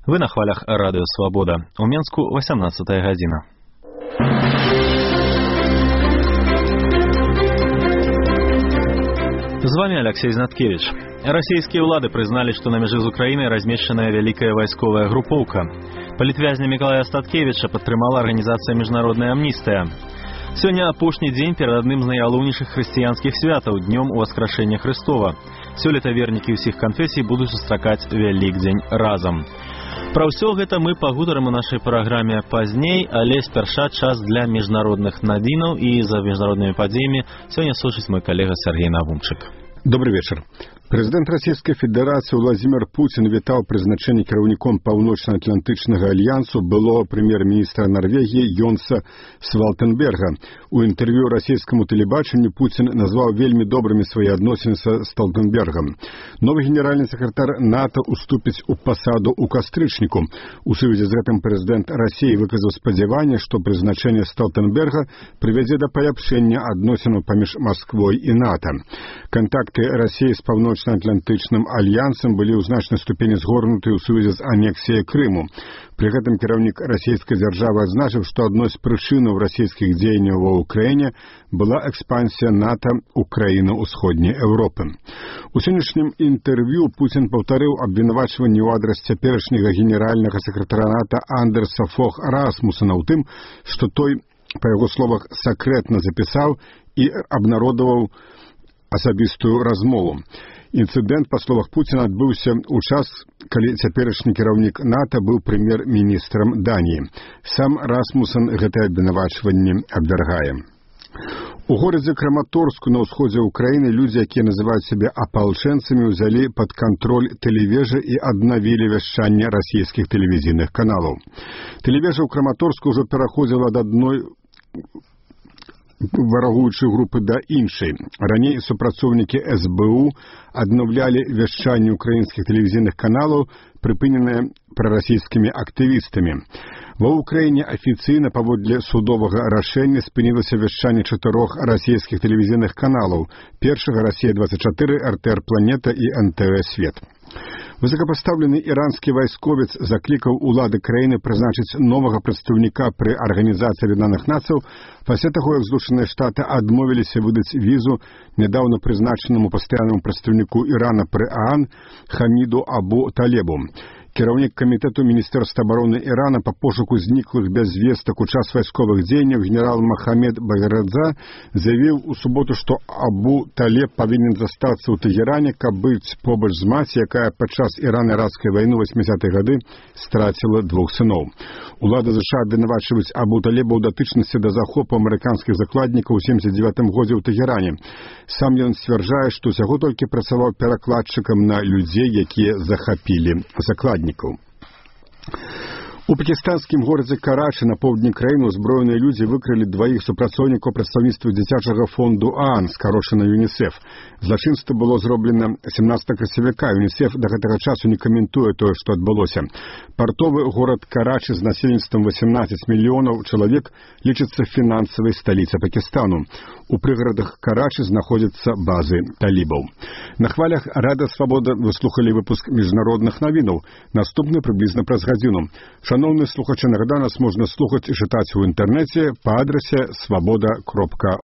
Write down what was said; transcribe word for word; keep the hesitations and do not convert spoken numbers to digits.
Вы на хвалях радыё Свабода. У Менску восемнадцатая гадзіна. З вами Алексей Знаткевич. Российские улады признали, что на меже з Украиной размещенная великая войсковая групповка. Палітвязня Миколая Статкевича падтрымала организация «Международная амнистия». Сегодня апошні дзень перед одним з найгалоўнейшых хрысціянскіх святаў – днем Уваскрашэння Христова. Сёлета вернікі ўсіх канфесій будуць сустракаць Вялікдзень разам. Пра ўсё гэта мы пагутарым у нашай праграме пазней, але спярша час для міжнародных навінаў, і за міжнароднымі падзеямі сёння сочыць мой калега Сергей Навумчык. Добрый вечер. Президент Российской Федерации Владимир Путин вітаў прызначэнне кіраўніком Паўночна-Атлантычнага альянсу былого премьер-министра Норвегии Йонса Свалтенберга. У интервью российскому телебаченню Путин назвал вельмі добрыми свои адносіны со Столтенбергом. Новый генеральный секретарь НАТО уступіць у посаду у кастрычніку. У сувязі з гэтым президент России выказаў спадзяванне, што прызначэнне Столтенберга прывядзе да паляпшэння адносінаў паміж Москвой и НАТО. Контакты России с Паўночна-Атлантычным альянсам былі ў значнай ступені згорнуты ў сувязі з анексіяй Крыму. При гэтым кіраўнік расійскай дзяржавы адзначыў, што адной з прычынаў расійскіх дзеянняў ва Ўкраіне была экспансія НАТО ў краіны ўсходняй Еўропы. У сённяшнім інтэрв'ю Путін паўтарыў абвінавачванні ў адрас цяперашняга генеральнага сакратара НАТО Андерса Фог Расмусена ў тым, што той, па яго словах, сакрэтна запісаў і абнародаваў асабістую размову. Інцыдэнт, па словах Пуціна, адбыўся ў час, калі цяперашні кіраўнік НАТО быў прэм'ер-міністрам Даніі. Сам Расмусен гэтае абвінавачванне абвяргае. У горадзе Краматорску на ўсходзе Украіны людзі, якія называюць сябе апалчэнцамі, узялі пад кантроль тэлевежы і аднавілі вяшчанне расійскіх тэлевізійных каналаў. Тэлевежа ў Краматорску ўжо пераходзіла ад адной варагуючай групы да іншай. Раней супрацоўнікі эс бэ у аднаўлялі вяшчанне украінскіх тэлевізійных каналаў, прыпыненыя прарасійскімі актывістамі. Ва Ўкраіне афіцыйна паводле судовага рашэння спынілася вяшчанне чатырох расійскіх тэлевізійных каналаў: першага Расія двадцать чатыры, эр тэ эр Планета і эн тэ вэ Свет. Высокопоставленный иранский вайсковец закликал улады краіны прызначыць новага прадстаўніка пры Арганізацыі Аб'яднаных Нацый пасля таго, як Злучаныя Штаты адмовіліся выдаць візу нядаўна прызначанаму пастаяннаму прадстаўніку Ірана пры ААН Хаміду Абу Талебу. Кіраўнік камітэту Міністэрства абароны Ірана па пошуку зніклых без звестак у час вайсковых дзеянняў генерал Махамед Баградзе заявіў у суботу, што Абу Талеб павінен застацца ў Тэгеране, каб быць побач з маці, якая падчас Іран-іракскай вайны васьмідзесятыя гады страціла двух сыноў. Улады ЗША абвінавачваюць Абу Талеба ў датычнасці да захопу амерыканскіх закладнікаў у семдзесят дзевятым годзе ў Тэгеране. Сам ён сцвярджае, што ўсяго толькі працаваў перакладчыкам на людзей, якія захапілі закладнікаў. У пакістанскім горадзе Карачы на поўдні краіны ўзброеныя людзі выкрылі дваіх супрацоўнікаў прадстаўніцтва дзіцячага фонду ААН, скарошана ЮНІСЕФ. Злачынства было зроблена семнадцатага красавіка. ЮНІСЕФ да гэтага часу не каментуе тое, што адбылося. Партовы горад Карачы з насельніцтвам восемнадцать мільёнаў чалавек лічыцца фінансавай сталіцай Пакістану. У прыгарадах Карачы знаходзяцца базы талібаў. На хвалях Радыё Свабода вы слухалі выпуск міжнародных навінаў. Наступны прыблізна праз гадзіну. Шановні слухачі, нагадаю, нас можна слухаць і чытаць у інтэрнэце па адрасе свабода кропка